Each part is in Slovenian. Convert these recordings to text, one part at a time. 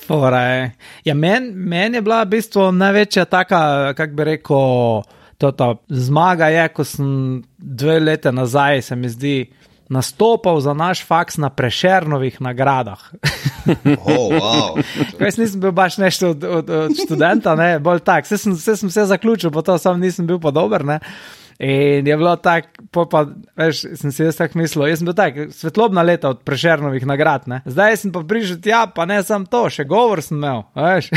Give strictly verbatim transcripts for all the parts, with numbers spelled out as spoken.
Fora je. Ja, meni men je bila v bistvu največja taka, kak bi rekel, tota zmaga je, ko sem dve leta nazaj, se mi zdi, nastopal za naš faks na Prešernovih nagradah. Oh, wow. Jaz nisem bil baš nešto od, od, od študenta, ne, bolj tak. Vse sem, vse sem vse zaključil, pa to sam nisem bil pa dober, ne. In je bilo tak, pa, veš, sem si jaz tak mislil, jaz sem bil tak, svetlobna leta od Prešernovih nagrad, ne. Zdaj sem pa prišel tja, pa ne sam to, še govor sem imel, veš.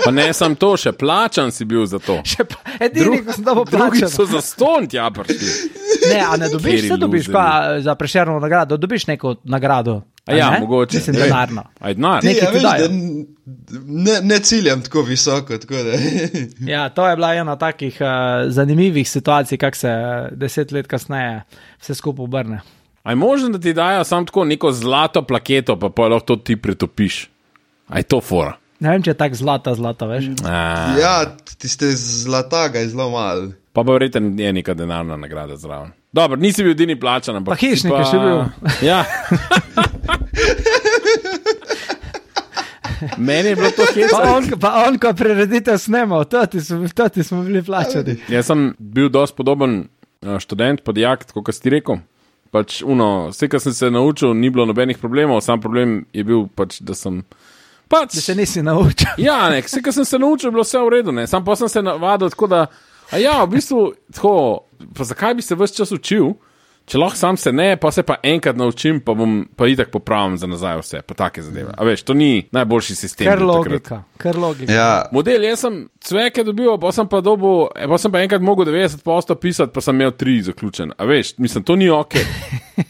Pa ne sam to, še plačan si bil za to. Še pa, edini, ko sem dobil plačan. Drugi so za ston tja prišli. Ne, a ne dobiš, se dobiš pa za Prešernovo nagrado, dobiš neko nagrado. A ja, ne? mogoče. Mislim, denarno. Aj denar. Nekaj Ja, ti veš, dajo. da ne, ne ciljam tako visoko, tako da. Ja, to je bila ena takih uh, zanimivih situacij, kak se deset let kasneje vse skupaj obrne. A je možno, da ti dajo samo tako neko zlato plaketo, pa pa lahko to ti pretopiš? A je to fora? Ne vem, če je tak zlata, zlata, veš. A, Ja, tiste zlata ga je zelo malo. pa pa verjetno je neka denarna nagrada zraven. Dobro, nisi bil edini plačan, ampak... Pa hišnik je še bil. Ja. Meni je bilo to Pa hecno. on, pa on, ko prireditev snemal, to ti smo, to ti smo bili plačani. Jaz sem bil dosti podoben uh, študent, pa dijak, tako kot si rekel. Pač, uno, vse, kar sem se naučil, ni bilo nobenih problemov, sam problem je bil pač, da sem... Pač, Da se nisi naučil. ja, ne, vse, kar sem se naučil, je bilo vse v redu, ne. Sam pa sem se navadil tako, da, a ja, v bistvu, tako, pa zakaj bi se ves čas učil, če lahko sam se ne, pa se pa enkrat naučim, pa bom pa itak popravim za nazaj vse, pa take zadeve. A veš, to ni najboljši sistem. Ker bil takrat. logika, ker logika. Ja, Model, jaz sem cveke dobil, pa sem pa dobil, eh, pa sem pa enkrat mogel devetdeset posto pisati, pa sem imel tri zaključen. A veš, mislim, to ni ok.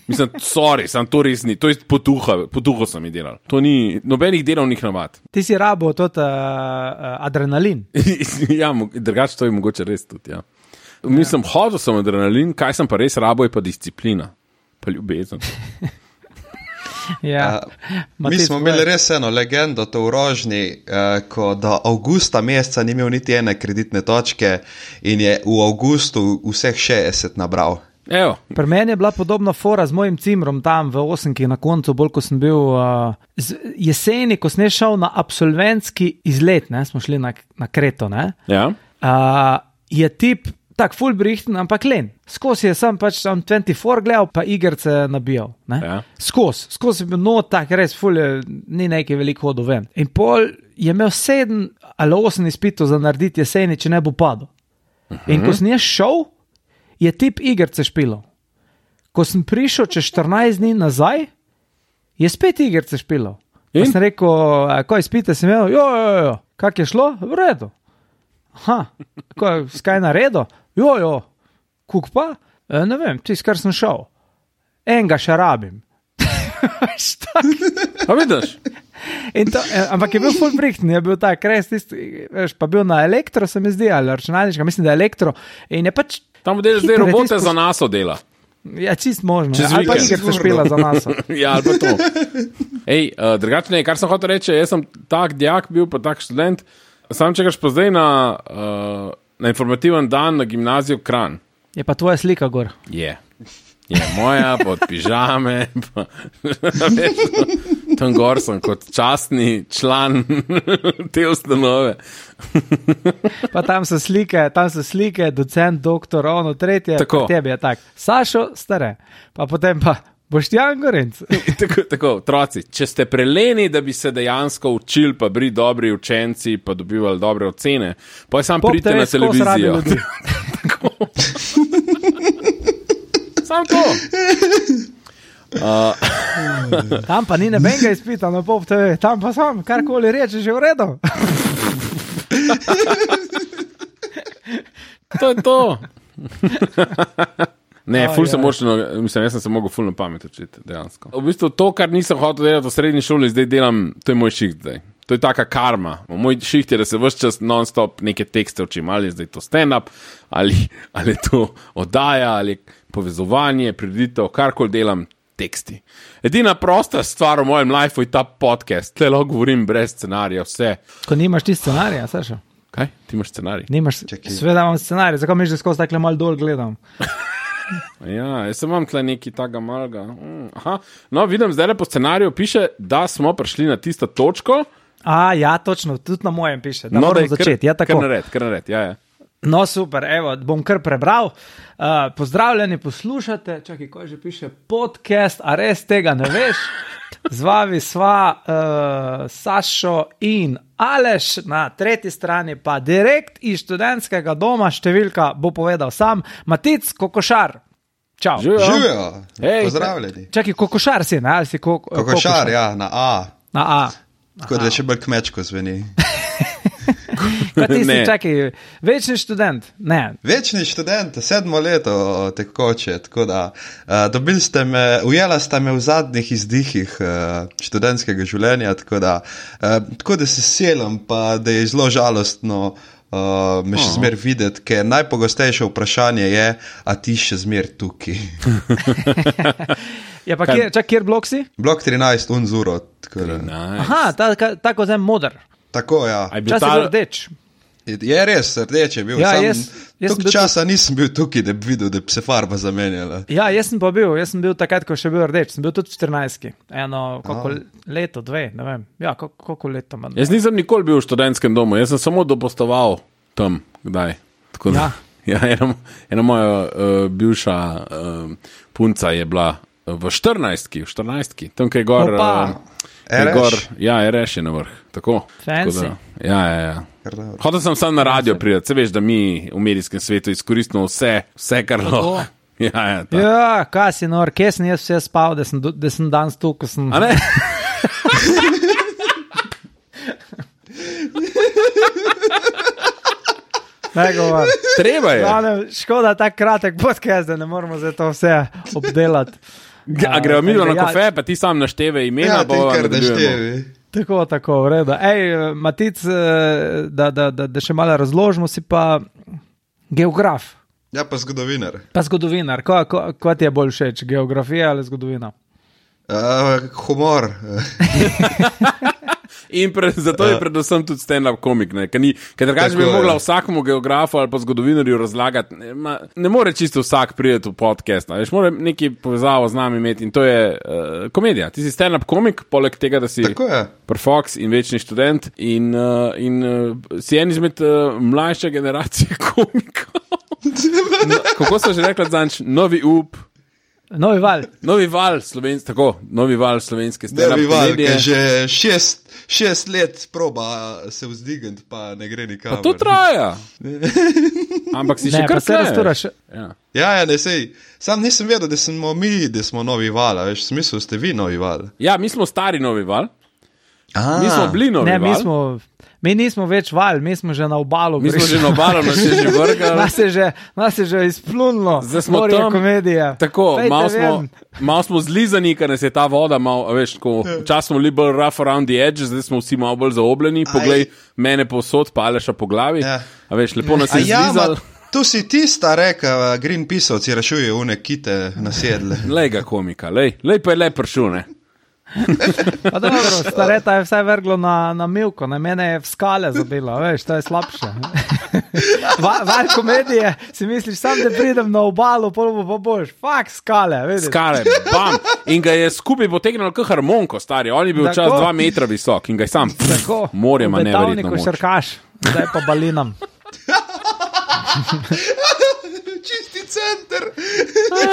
Mislim, sorry, sem to res ni, to je potuha, potuho sem jih delal. To ni nobenih delovnih navad. Ti si rabo tot uh, uh, adrenalin. Ja, mo- drugače to je mogoče res tudi, ja. Mislim, hodil sem adrenalin, kaj sem pa res rabo, je pa disciplina, pa ljubezen. Ja. Ma mi ti smo svoje. imeli res eno legendo, to v Rožni, eh, ko do avgusta meseca ni imel niti ene kreditne točke in je v avgustu vseh šestdeset nabral. Evo, Pri meni je bila podobna fora z mojim cimrom tam v Osenki na koncu, bolj ko sem bil uh, z, jeseni, ko sem šel na absolventski izlet, ne, smo šli na, na Kreto, ne, ja. uh, je tip tak full brichten, ampak len. Skozi je sam pač tam dvajset štiri gledal, pa igrce nabijal, ne. Ja. Skozi, skozi je bil no tak res full, je, ni nekaj veliko hodil ven. In pol je imel sedem ali osem izpitov za narediti jeseni, če ne bo padel. In ko sem jaz šel, je tip igrce špilal. Ko sem prišel čez štirinajst dni nazaj, je spet igrce špilal. Pa In? sem rekel, "A, ko izpite sem imel, jo, jo, jo, kak je šlo? V redu. Aha, ko, skaj na redu? Jo, jo, kuk pa? E, ne vem, tis, kar sem šel. Enega še rabim. Veš, tak. Pa vidiš? In to, eh, ampak je bil full brichten, je bil tak res tisti, veš, pa bil na elektro, se mi zdi, ali računalniška, mislim, da je elektro. In je pač, Tam model zdaj Hitro je robote tisto- za nas dela. ja, čist možno. Čez Ali pa vikend. igrice špila za nas. Ja, ali pa to. Ej, uh, drugače, kar sem hotel reči, jaz sem tak dijak bil, pa tak študent. Sam čekaš pa zdaj na, uh, na informativen dan na gimnazijo Kranj. Je pa tvoja slika gor. Je. Je moja, pod pižame. Pa, veš, tam gor sem kot častni član te ustanove. Pa tam so slike, tam so slike, docent, doktor, ono, tretje, Tako. pa tebi je tak. Sašo, stare. Pa potem pa Boštjan Gorenc. tako, tako, otroci, če ste preleni, da bi se dejansko učili, pa bili dobri učenci, pa dobivali dobre ocene, pa je sam Pop pridite te na res skozi radi televizijo. ljudi. Sam to. Uh, Tam pa ni nebenga izpita na Pop T V, tam pa sam, karkoli reče, že v redu. to je to. Ne, Aj, ful sem aj. močno, mislim, jaz sem se mogel ful na pamet učiti, dejansko. V bistvu to, kar nisem hotel delati v srednji šoli, zdaj delam, to je moj šiht zdaj. To je taka karma. Moj šiht je, da se vse čas non-stop neke tekste učim, ali je zdaj to stand-up, ali, ali je to oddaja, ali povezovanje, prireditev, karkoli delam, teksti. Edina prosta stvar v mojem lifeu je ta podcast. Tle lahko govorim brez scenarija, vse. Ko nimaš ti scenarija, Sašo. Kaj? Ti imaš scenarij? Nimaš, Čakaj. sveda imam scenarij, zakaj misliš, da skozi takle mal dol gledam? Ja, jaz sem imam tle neki taga malga. Mm, aha. No, vidim, zdaj po scenariju piše, da smo prišli na tisto točko, A, ja, točno, tudi na mojem piše. Da No, moramo daj, kar- začeti. Ja, Kar tako. nared, kar nared, ja, ja. No, super, evo, bom kar prebral. Uh, pozdravljeni, poslušate, čakaj, ko že piše podcast, a res tega ne veš? Z vami sva uh, Sašo in Aleš, na tretji strani pa direkt iz študentskega doma, številka bo povedal sam, Matic Kokošar. Čau. Živijo. Živijo, Hej. pozdravljeni. Čakaj, Kokošar si, ne? Ali si ko, Kokošar, ja, na A. Na A. Tako da še bolj kmečko zveni. Kaj ti si, Ne. čakaj, večni študent? Ne. Večni študent, sedmo leto tekoče, tako da uh, dobili ste me, ujela ste me v zadnjih izdihih uh, študentskega življenja, tako da, uh, tako da se selim, pa da je zelo žalostno uh, me še zmer videti, ker najpogostejše vprašanje je, a ti še zmer tukaj. Ja, pa kjer, čak, kjer blok si? Blok trinajst, unzuro, tako da. Nice. Aha, ta, ka- tako zem modr. Tako, ja. A je bil Čas je ta- bil rdeč. Je res, rdeč je bil. Ja, Sam jaz- jaz sem toliko bil časa nisem bil tukaj, da bi videl, da bi se farba zamenjala. Ja, jaz sem pa bil, jaz sem bil takrat, ko še bil rdeč, sem bil tudi v štirinajstki. Eno, koliko leto, dve, ne vem. Ja, koliko, koliko leto manj. Jaz nisem nikoli bil v študentskem domu, jaz sem samo dopostoval tam, kdaj. Tako da, ja. Ja, ena, ena moja uh, bivša uh, punca je bila v štirinajstki, v štirinajstki, tam, kaj je gor. Opa. Uh, kaj je R Š? gor, ja, R Š je na vrh. Tako. Fancy. Tako da, ja, ja, ja. Kar dobro. Hotel sem sam na radio priti, se veš, da mi v medijskem svetu izkoristimo vse, vse kar lahko. Ja, ja, ta. Ja, kaj si nor, kje sem jaz vse spal, da sem, do- da sem danes tu, ko sem... A ne? Ne govor. Treba je. Glavnem, škoda tak kratek podcast, da ne moramo zdaj to vse obdelati. A gremo mi na Ja, kafe, pa ti sam našteve imena, Ja, ti bova kar nadaljujemo. naštevi. Tako, tako, v redu. Ej, Matic, eh, da, da, da, da še malo razložimo, si pa geograf, Ja, pa zgodovinar. pa zgodovinar. Ko, ko, ko ti je bolj všeč, geografija ali zgodovina? Uh, humor. In pre, zato je predvsem tudi stand-up komik, ne? Ker ni- ker drugače Tako bi je. mogla vsakemu geografu ali pa zgodovinarju razlagati. Ne, ma, ne more čisto vsak priti v podcast, a veš, mora neki povezavo z nami imeti in to je uh, komedija. Ti si stand-up komik, poleg tega, da si Tako je. Fox in večni študent in, uh, in uh, si en izmed uh, mlajše generacije komikov. No, kako so že rekli zanč, novi up, Novi val. novi val slovenske, tako, novi val slovenske stand-up Devi val, komedije. ki že šest, šest let proba se vzdigati, pa ne gre nikamor. Pa to traja. Ampak si še Ne, kar pa se tleješ. razturaš. Ja. Ja, ja, ne sej. Sam nisem vedel, da smo mi, da smo novi val, a veš, smisel ste vi novi val. ja, mi smo stari novi val, A, mi smo bili novi Ne, val. mi, smo, mi nismo več val, mi smo že na obalu. Mi smo prišli. že na obalu, nas je že vrgalo. Nas je že, nas je že izplunilo. Zdaj smo morje tam. komedije. Tako, Dajte malo smo, ven. mal smo zlizani, ker nas je ta voda, mal, a veš, tako, včasih smo bili bolj rough around the edge, zdaj smo vsi malo bolj zaobljeni. Poglej mene povsod, pa Aleša po glavi. Ja. A veš, lepo nas A je ja, zlizal. ma, tu si tista reka, Greenpeaceovci rešujejo une kite nasedle. Lej ga komika, lej, lej pa je le pršul, ne. Pa dobro, stareta je vse vrglo na, na milko, na mene je v skale zabilo, veš, to je slabše. Va, val komedije, si misliš, sam da pridem na obalo, pol bo pa boš, fak skale, vidiš. Skale, bam. In ga je skupaj potegnil kot harmonko, stari. On je bil Tako. čas dva metra visok in ga je sam. Tako, Morje ima v neverjetno Betavniku moč. šarkaš, zdaj pa balinam. Čisti center.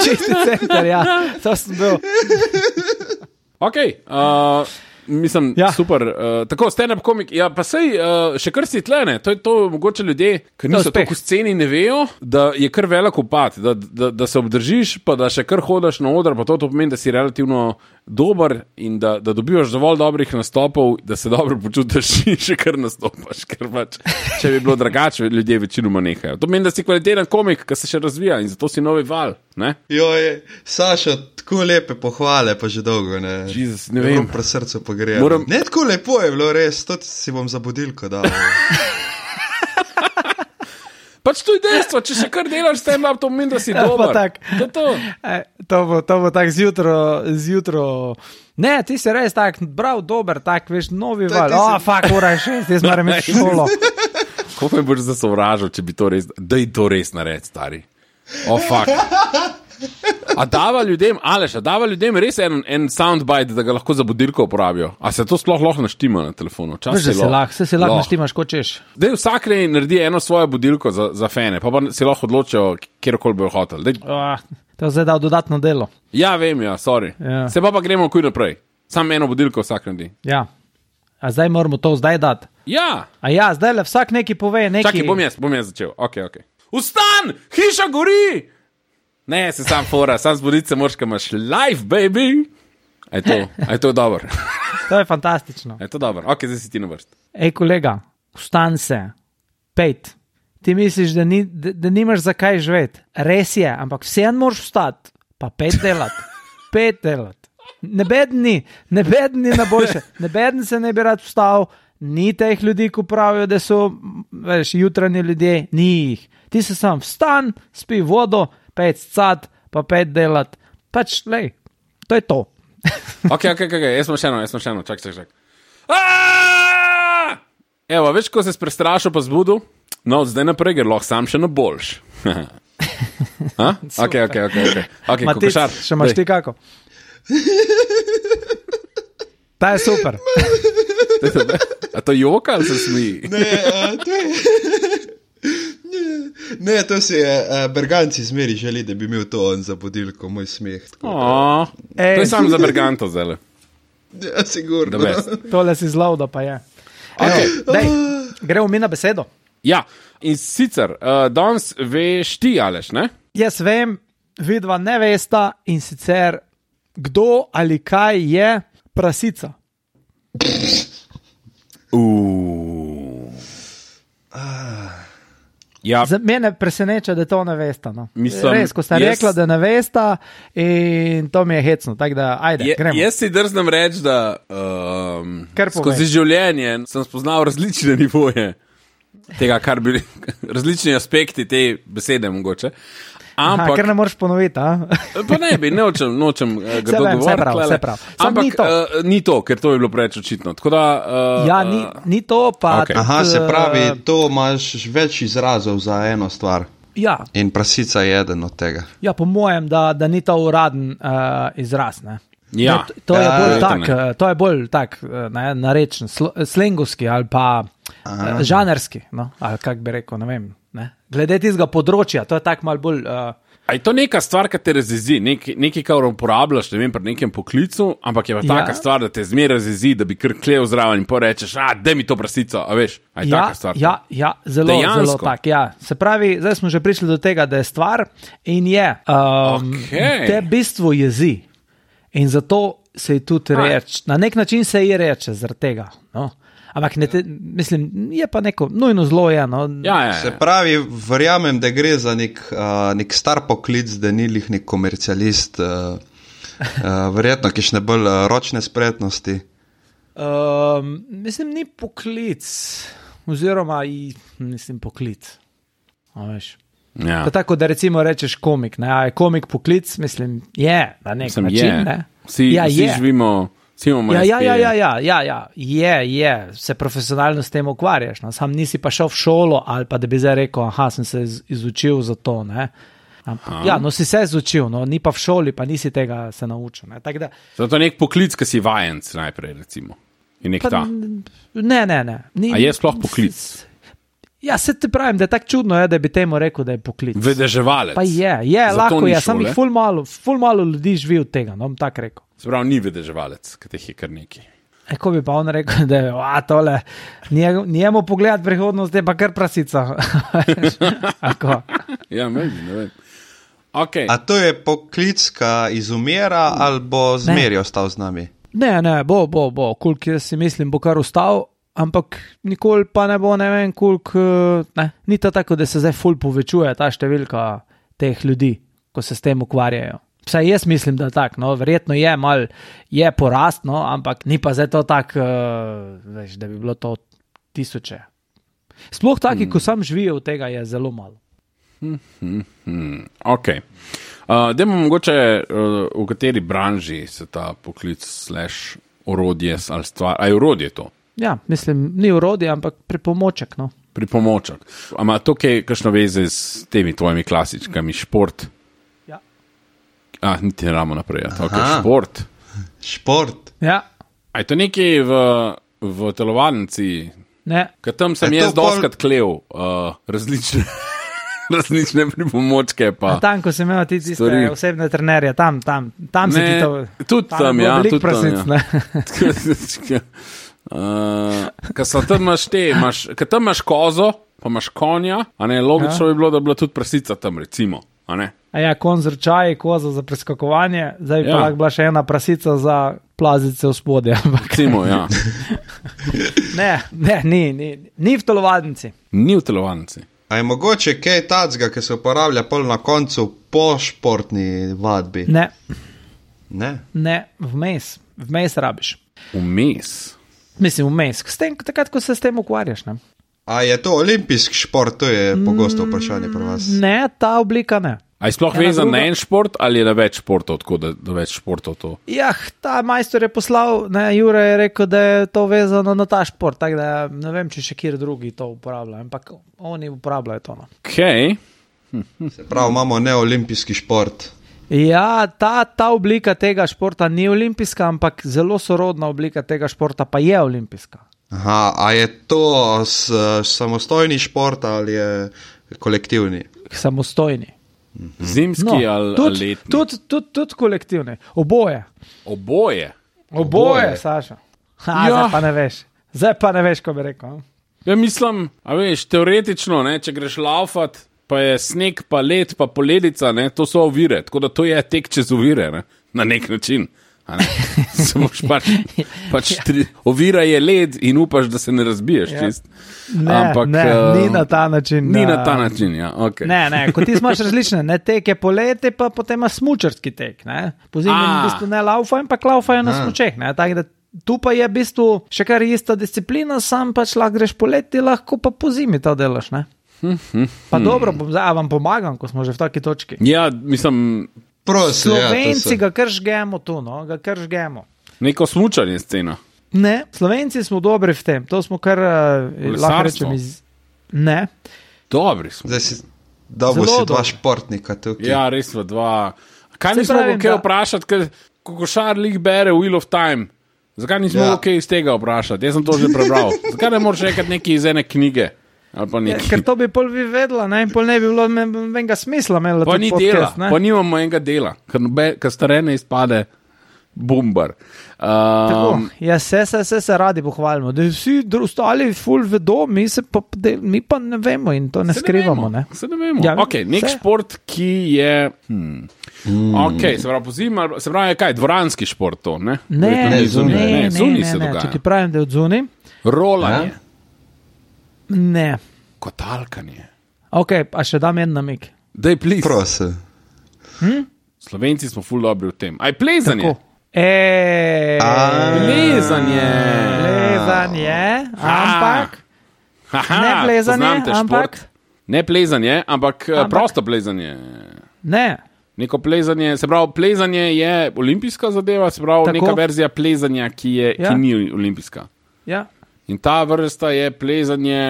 Čisti center, ja, to sem bil. Ok, uh, mislim, ja. Ja. super. Uh, tako, stand-up komik, ja, pa sej, uh, še kar si tlene, to je to, mogoče ljudje, ki niso uspeh. tako v sceni, ne vejo, da je kar velik upad, da, da, da se obdržiš, pa da še kar hodaš na oder, pa to, to pomeni, da si relativno dober in da, da dobivaš dovolj dobrih nastopov, da se dobro počutiš in še kar nastopaš, ker pač, če bi bilo drugače, ljudje večinoma nehajo. To pomeni, da si kvaliteten komik, ki se še razvija in zato si novi val, ne? Joj, Saša, tako lepe pohvale, pa že dolgo ne. Jezus, ne vem. Pri srcu pogrejem. Moram- Ne, tako lepo je bilo, res, to si bom za budilko dal. Pač to je dejstvo, če še kar delaš stand-up, to pomeni, da si Ja, pa dober. tak. To je to. E, to bo, to bo tako zjutro, zjutro. Ne, ti si res tak, prav dober, tak, veš, novi To je val. ti O, si- oh, fak, ura je šest, jaz moram imeti šolo. Kako me boš zasovražil, če bi to res, da je to res nared, stari. O, oh, fuck. A dava ljudem, Aleš, a dava ljudem res en, en soundbite, da ga lahko za budilko uporabijo? A se to sploh lahko naštima na telefonu? Veš, da se lahko, se, se lahko naštimaš, kot češ. Dej vsak ne naredi eno svojo budilko za, za fene, pa pa se lahko odločijo, kjerkoli bojo hotel. Dej... Oh, to je zdaj dal dodatno delo. Ja, vem, ja, sorry. Ja. Se pa pa gremo kuj naprej. Sam eno budilko vsak naredi. Ja. A zdaj moramo to zdaj dati? Ja. A ja, zdaj le vsak neki pove neki... Čakaj, bom jaz, bom jaz začel. Ok, ok. Vstan! Hiša gori! Ne, se sam fora, sam zbuditi se moraš, kaj imaš life, baby. A je to, a je to dobro? To je fantastično. A je to dobro? Ok, zdaj si ti na vrst. Ej, kolega, vstan se, pejt. Ti misliš, da, ni, da, da nimaš zakaj živeti. Res je, ampak vsem moraš vstati, pa pet delati. Pet delati. Ne bedni, ne bedni na boljše. Ne bedni se ne bi rad vstal, ni teh ljudi, ko pravijo, da so, veš, jutranji ljudje, ni jih. Ti se sam vstan, spi vodo, pet scat, pa pet delat. Pač, lej, to je to. Ok, ok, ok, jaz sem še eno, jaz sem še eno, čak, čak, čak. Aaaa! Evo, veš, ko se prestrašil pa zbudu, no, zdaj naprej, ker lahko sam še na boljš. Ok, ok, ok, ok. okay Matic, še imaš ti kako? Ta je super. A to joka ali se smiji? Ne, a, to je... Ne, to si je, uh, Berganci zmeri želi, da bi imel to on za budilko, moj smeh. Oh, to je sam za Berganto zdaj. Ja, sigurno. Tole si zlov, da pa je. Okay. Dej, gremo mi na besedo. Ja, in sicer, uh, danes veš ti, Aleš, ne? Jaz vem, vidva ne vesta in sicer, kdo ali kaj je prasica. Uuuu. Ja. Za mene preseneča, da to ne vesta. No. Mislim, res, ko sta jaz... rekla, da ne vesta in to mi je hecno. Tako da, ajde, je, gremo. Jaz si drznem reči, da um, Kar povej. skozi življenje sem spoznal različne nivoje tega, kar bi različni aspekti te besede mogoče. Ampak, Aha, ker ne moreš ponoviti, a? Pa ne bi, nočem, nočem uh, ga dogovoriti. Vse prav, vse prav. Ampak ni to. Uh, ni to, ker to je bilo preveč očitno. Tako da, uh, ja, ni, ni to, pa... Okay. Aha, se pravi, to imaš več izrazov za eno stvar. Ja. In prasica je eden od tega. Ja, po mojem, da, da ni to uraden uh, izraz, ne? Ja. Ne, to, to, je Ja, bolj ja, tak, uh, to je bolj tak, ne, narečen, sl slengovski ali pa uh, žanerski, no? Ali kak bi rekel, ne vem. Ne? Glede tistega področja, to je tak mal bolj... Uh, A je to neka stvar, ki te razjezi, Nek, nekaj, kar uporabljaš, ne vem, pri nekem poklicu, ampak je pa taka ja. stvar, da te zmeraj razjezi, da bi kar klev zraven in porečeš, a, daj mi to prasico, a veš, a je ja, taka stvar. Ja, ja, zelo, Dejansko? zelo tak, ja. Se pravi, zdaj smo že prišli do tega, da je stvar in je, um, Okay. te bistvo jezi in zato se ji tudi reče, na nek način se ji reče zaradi tega, no. Ampak ne te, mislim, je pa neko nujno zlo je, no. Ja, ja, ja. Se pravi, verjamem, da gre za nek, uh, nek star poklic, da ni lih nek komercialist, uh, uh, verjetno kišne bolj uh, ročne spretnosti. Um, mislim, ni poklic, oziroma i, mislim, poklic, a veš. Ja. To tako, da recimo rečeš komik, ne, a je komik poklic, mislim, je, na nek Mislim, način, je. ne. Vsi, ja, vsi je. živimo, vsi imamo Ja, ja, espeje. ja, ja, ja, ja, ja, je, je, se profesionalno s tem ukvarjaš, no? Sam nisi pa šel v šolo ali pa da bi zdaj rekel, aha, sem se iz, izučil za to, ne. Ampak, ja, no si se izučil, no, ni pa v šoli, pa nisi tega se naučil, ne. Tak da, Zato je nek poklic, ki si vajenc najprej, recimo. In nek pa, ta. ne, ne, ne. Ni, A je sploh poklic? Ja, se ti pravim, da je tako čudno, je, da bi temu rekel, da je poklic. Vedeževalec. Pa je, je, Zato lahko ni je, sam šole. jih ful malo, ful malo ljudi živi od tega, no, bom tako rekel. Se pravi, ni vedeževalec, ki teh je kar neki. E, ko bi pa on rekel, da je, a, tole, njemu, njemu pogled prihodnost je pa kar prasica. Ako? Ja, meni, ne vem. Okay. A to je poklic, ki izumira ali bo zmeri ostal z nami? Ne, ne, bo, bo, bo, koliko jaz si mislim, bo kar ustal, ampak nikoli pa ne bo, ne vem, koliko, ne, ni to tako, da se zdaj ful povečuje ta številka teh ljudi, ko se s tem ukvarjajo. Vsaj jaz mislim, da tak, no, verjetno je mal, je porast, no, ampak ni pa zdaj to tak, uh, veš, da bi bilo to tisoče. Sploh taki, hmm. ko sam živijo od tega, je zelo malo. Hmm, hmm, hmm. Ok. Uh, Dajmo mogoče, uh, v kateri branži se ta poklic slash orodje ali stvar, a je orodje to? Ja, mislim, ni orodje, ampak pripomoček, no. Pripomoček. A ima to kaj, kakšno veze s temi tvojimi klasičkami, šport? Ja. A, niti ne ramo naprej. Ja. Okay, šport. Šport. Ja, A je to nekaj v, v telovadnici? ne. Ker tam sem Je to jaz pol- doskrat klev uh, različne, različne pripomočke. Pa. Tam, ko sem imel ti tiste Stvari. osebne trenerje, tam, tam, tam se Ne, ti to... tudi tam, je bilo ja, veliko tudi tam, prasic, ja. ne. uh, Ker tam imaš te, imaš, ker tam imaš kozo, pa imaš konja, a ne, logično Ja. bi bilo, da bi bila tudi prasica tam, recimo. A ne? A ja, konj z rčaji, koza za preskakovanje, zdaj bi Ja. pa lahko bila še ena prasica za plazice v spodje. ampak Recimo, ja. Ne, ne, ni, ni, ni v telovadnici. Ni v telovadnici. A je mogoče kaj tacga, ki se uporablja pol na koncu po športni vadbi? Ne, Ne. ne, vmes, vmes rabiš. Vmes. Mislim, vmes, s tem, takrat, ko se s tem ukvarjaš. Ne, A je to olimpijski šport, to je pogosto vprašanje pri vas. ne ta oblika ne. A je sploh Ena vezan druga- na en šport ali je na več športov, tako da, da več športov to? Jah, ta majstor je poslal, ne, Jure je rekel, da je to vezano na ta šport, tako da ne vem, če še kjer drugi to uporabljajo, ampak oni uporabljajo to. No. Okay. Se pravi, imamo neolimpijski šport. Ja, ta, ta oblika tega športa ni olimpijska, ampak zelo sorodna oblika tega športa pa je olimpijska. Aha, a je to s, samostojni šport ali je kolektivni? Samostojni. Zimski No, ali, ali tudi letni? tud, tud, tud kolektivni. Oboje. Oboje. Oboje, Oboje. Saša. Ha, Ja. Zdaj pa ne veš. Zdaj pa ne veš, ko bi rekel. no. Ja, mislim, a veš, teoretično, ne, če greš laufat, pa je sneg, pa led, pa poledica, ne, to so ovire, tako da to je tek čez ovire, ne, na nek način. a ne. Se boš pač, pač tri, ovira je led in upaš, da se ne razbiješ Ja. čist. Ne, Ampak, ne, eh, ni na ta način. Ni da- na ta način, ja, ok. Ne, ne, kot ti imaš različne, ne teke poleti, pa potem imaš smučarski tek. Ne. Po zimi A. v bistvu ne laufajo, ampak laufajo na smučeh. Ne. Tako da tu pa je v bistvu še kar ista disciplina, sam pač lahko greš poleti, lahko pa po zimi to delaš. Ne. Pa dobro, bom zdaj a vam pomagam, ko smo že v taki točki. Ja, mislim, Prosim, Slovenci ja, ga kar žgemo tu, no, ga kar žgemo. neko smučanje scena. Ne, Slovenci smo dobri v tem, to smo kar, uh, lahko rečem, iz... Ne, Dobri smo. Zdaj si, dobro Zelo si dva dobro. športnika tukaj. Ja, res v dva. Kaj Saj nismo pravim, mogli kaj da- vprašati, ker ko košar lig bere Wheel of Time? Zakaj nismo Ja. mogli kaj iz tega vprašati? Jaz sem to že prebral. Zakaj ne moreš reči nekaj iz ene knjige? Ali pa ja, nekaj. ker to bi pol vi vedela, ne, in pol ne bi bilo nobenega smisla imela Pa tudi ni podcast, dela, ne. pa nimamo enega dela, ker, nobe- ker starene izpade bombar. Tako, Um, ja, se, se, se, se radi pohvalimo, da vsi dru- ostali ful vedo, mi, se pa, del, mi pa ne vemo in to ne se skrivamo. Ne Ne? vemo, se ne vemo. Ja, Okay, nek se. šport, ki je. Hmm. Mm. Okay, se pravi, pozimi, se pravi, je kaj, dvoranski šport to, ne? Ne, Verjetno ne, ni ne, zunaj. ne, ne, zunaj ne, se ne. dogaja. Če ti pravim, da je od zunaj, Rolanje, ne. kotalkanje. Ok, pa še dam en namig. Daj, plis. Prosim. Slovenci smo ful dobri v tem. Aj plezanje. Tako. E, A. Plezanje. plezanje, ampak Aha, ne plezanje, poznam te ampak- šport. Ne plezanje, ampak, ampak Ampak- prosto plezanje. ne. Neko plezanje, se pravi, plezanje je olimpijska zadeva, se pravi, Tako. neka verzija plezanja, ki, je, Ja. ki ni olimpijska. Ja. In ta vrsta je plezanje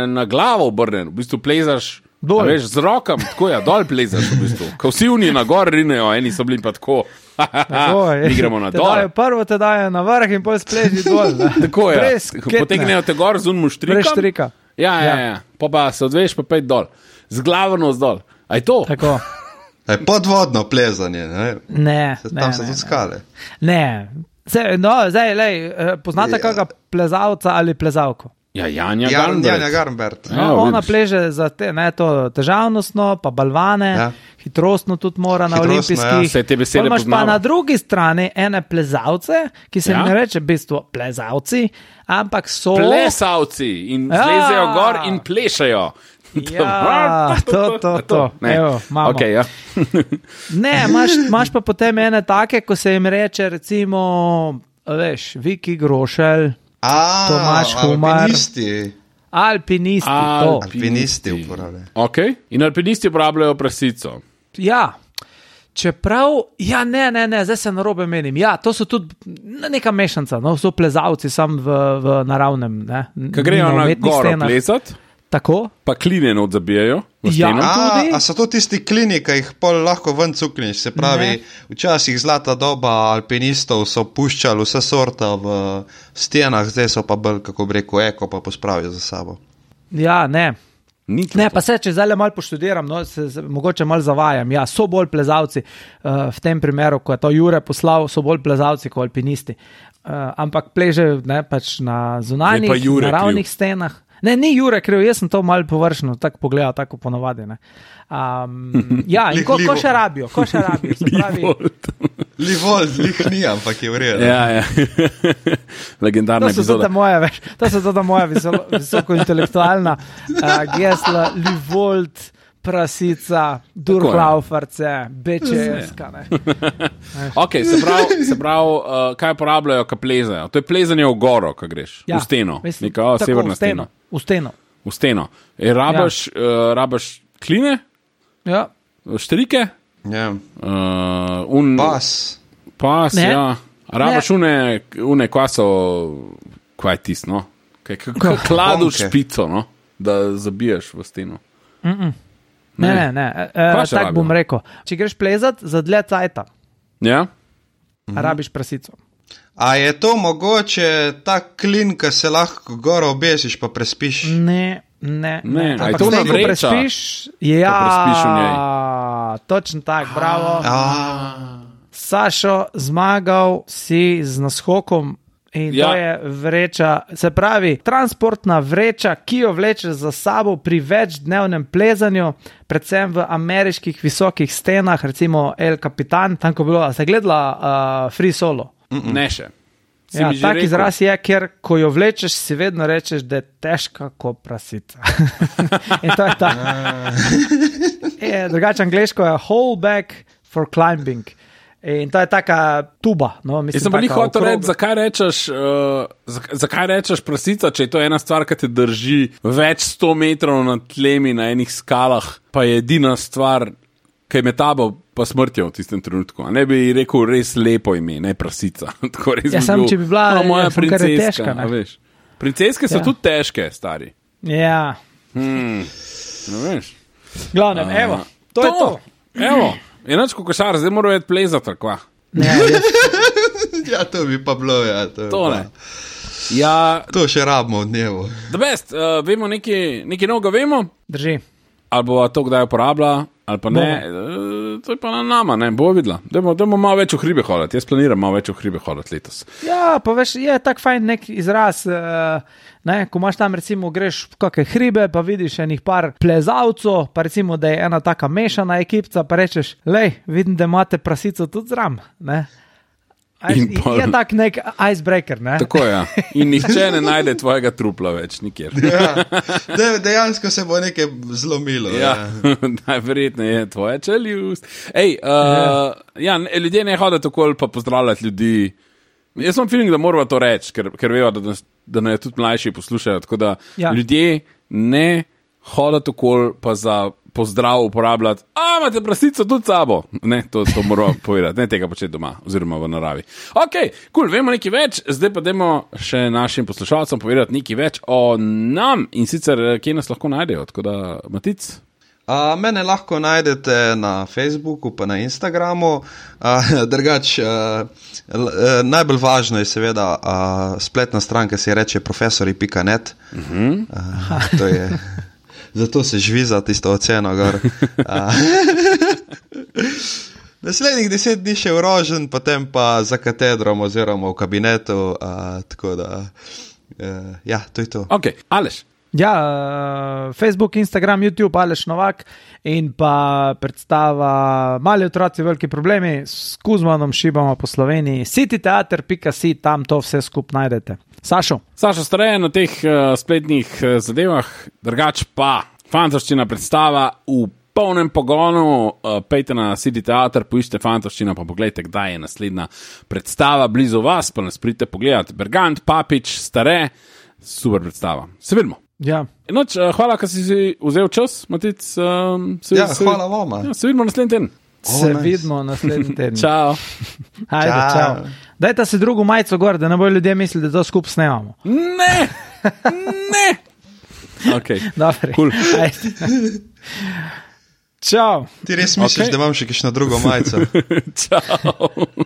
na glavo obrnen, v bistvu plezaš. Dol. a Veš, z rokami, tako je, dol plezaš v bistvu. Ko vsi oni na gor rinejo, eni so bili pa tako. Tako je. Mi gremo na Te dol. dajo Prvo te dajo na vrh in potem spleži dol. ne. Tako je. Brez ketne. Potegnejo te gor z unmu štrikom. Brez štrika. Ja, ja, ja. Pa, pa se odveš, pa pej dol. Z glavo navzdol. A je to? Tako. Je podvodno plezanje, ne? Ne, Se- ne, Tam so ne, tudi ne. skale. Ne, zdaj, no, zdaj, lej, eh, poznate Ja. kakega plezalca ali plezalko? Ja, Janja Jan, Garnbret. Janja Garnbert. Ja, No, ona vidiš. pleže za te, ne, to težavnostno, pa balvane, Ja. hitrostno tudi mora na Hitrostno, olimpijskih. ja. Saj te besede Pol imaš pa poznava. na drugi strani ene plezalce, ki se Ja. jim ne reče v bistvu plezalci, ampak so. Plesavci in Ja. zlezejo gor in plešajo. Ja, to, to, to. Ne. Evo, imamo. Okay, ja. Ne, imaš, imaš pa potem ene take, ko se jim reče, recimo, veš, Viki Grošelj, A, Tomaž Humar. alpinisti. alpinisti. to. Alpinisti uporabljajo. Okay. In alpinisti uporabljajo prasico. Ja. Čeprav, ja, ne, ne, ne, zdaj se narobe menim. Ja, to so tudi neka mešanca, no, so plezalci sam v, v naravnem. Ne, Ko grejo na na umetnih goro stenah. plesati, Tako? Pa kline not zabijajo. Ja, A, a so to tisti klini, ki jih pol lahko ven cukniš? Se pravi, ne. Včasih zlata doba alpinistov so puščali vse sorta v stenah, zdaj so pa bolj, kako bi rekel, eko pa pospravijo za sabo. Ja, ne. Nič Ne, pa se, če zdaj malo poštudiram, no, se, se, mogoče malo zavajam. Ja, so bolj plezalci, uh, v tem primeru, ko je to Jure poslal, so bolj plezalci kot alpinisti. Uh, ampak pležejo ne, pač na zunanjih, naravnih stenah. Ne, ni Jure kriv, jaz sem to malo površno tako pogledal, tako ponovadi. Ne. Um, ja, in ko, ko še rabijo, ko še rabijo. Se pravi, Livold, lih ni, ampak je v redu. Ja, ja. Legendarna to so epizoda. To moja, veš, to so to moja visoko, visoko intelektualna uh, gesla, Livold, prasica, Durhlauferce, Bečeska. Ok, se pravi, se pravi uh, kaj uporabljajo, ko plezajo? To je plezanje v goro, ko greš, Ja, v steno, mislim, neka o, tako, severna v steno, stena. v steno. V steno. E, rabaš, ja. uh, rabaš kline, Ja. štrike, Ja. uh, un, Pas. pas, Ne. ja. A rabaš Ne. une, une kvaso, kaj je tis, no? Kaj, k- k- kladu Konke. špico, no? Da zabiješ v steno. Ne, ne, ne. E, Kaj še tako bom rabijo? rekel. Če greš plezat za dlje cajta, Ja? mhm. rabiš prasico. A je to mogoče ta klin, ki se lahko goro obesiš pa prespiš? Ne, ne. Ne, a je Ampak to zdaj, ona ko vreča? prespiš, ja, prespiš v njej. točno tako, bravo. A, Sašo, zmagal si z naskokom. In Ja. to je vreča, se pravi, transportna vreča, ki jo vlečeš za sabo pri večdnevnem plezanju, predvsem v ameriških visokih stenah, recimo El Capitan, tam ko je bilo, a ste gledala uh, Free Solo? Mm-mm. Ne še. Si Ja, mi že tak rekel. izraz je, ker ko jo vlečeš, si vedno rečeš, da je težka kot prasica. In to je ta. Je, drugače angleško je whole back for climbing. In to je taka tuba. No, mislim, Jaz sem pa ni taka hotel okrogla. reči, zakaj rečeš, uh, zakaj, zakaj rečeš prasica, če je to ena stvar, ki te drži več sto metrov nad tlemi na enih skalah, pa je edina stvar, ki je med tabo pa smrtjo v tistem trenutku. A ne bi rekel res lepo ime, ne prasica. Tako res Ja, bi samo bil, če bi bila, "O, moja ja, samo ker je princeska", težka, ne. a veš. Princeske so Ja. tudi težke, stari. Ja, Hmm. No, veš. glavnem, A, evo, to, to je to. Evo, enač kot košar, zdaj morajo iti plezati, ali kva. Ne, jaz, ja, to bi pa bilo, ja. To, bi To ne. pa- Ja, to še rabimo v dnevu. the best, uh, vemo nekaj, nekaj novega vemo, drži. ali bo to kdaj uporablja, ali pa ne, uh, to je pa na nama, ne, bo videla. Dajmo, dajmo malo več v hribe hoditi, jaz planiram malo več v hribe hoditi letos. Ja, pa veš, je tak fajn nek izraz, uh, ne, ko imaš tam recimo greš v kakšne hribe, pa vidiš enih par plezalcev, pa recimo, da je ena taka mešana ekipca, pa rečeš, lej, vidim, da imate prasico tudi zram, ne. A, In pol- je tak nek icebreaker, ne. Tako je, ja. In nihče ne najde tvojega trupla več nikjer. Ja. De, dejansko se bo nekaj zlomilo. Ja, Ja. najverjetneje je tvoja čeljust. Ej, uh, ja, ne- ljudje ne hodijo tako pa pozdravljati ljudi. Jaz sem feeling, da moramo to reči, ker, ker vejo, da, nas- da nas tudi mlajši poslušajo. Tako da Ja. ljudje ne hodijo tako pa za pozdrav uporabljati. A, imate prasico tudi s sabo. Ne, to, to moramo povedati, ne tega početi doma oziroma v naravi. Ok, kul, cool, vemo nekaj več, zdaj pa dajmo še našim poslušalcem povedati nekaj več o nam in sicer, kje nas lahko najdejo. Tako da, Matic. A, mene lahko najdete na Facebooku, pa na Instagramu. A, drugač, a, l, a, najbolj važno je seveda a, spletna stran, ki se je reče profesori pika net. Uh-huh. A, to je, zato se žviza tisto oceno gor. A, naslednjih deset dni še v rožen, potem pa za katedrom oziroma v kabinetu. A, tako da, a, ja, to je to. Ok, Aleš. Ja, uh, Facebook, Instagram, YouTube, Aleš Novak in pa predstava Mali otroci, veliki problemi s Kuzmanom šibamo po Sloveniji. cityteater pika si, tam to vse skup najdete. Sašo? Saša Stareje na teh uh, spletnih uh, zadevah, drugač pa fantastična predstava v polnem pogonu, uh, pejte na cityteater, poiščite fantastična, pa pogledajte, kdaj je naslednja predstava blizu vas, pa nas pridite pogledati. Bergant, Papič, Stare, super predstava. Se vidimo. Ja. Noč, uh, hvala, ker si si vzel čas, Matic. Um, se, Ja, se, hvala vama. Ja, se vidimo naslednji teden. Se nice. vidimo naslednji teden. Čau. Ajde, Čau. čau. Dajte si drugo majico gor, da ne bojo ljudje mislili, da to skup snemamo. Ne! Ne! Okay. Dobre. Cool. Ajde. Čau. Ti res misliš, Okej. da imam še kakšno drugo majico? Čau.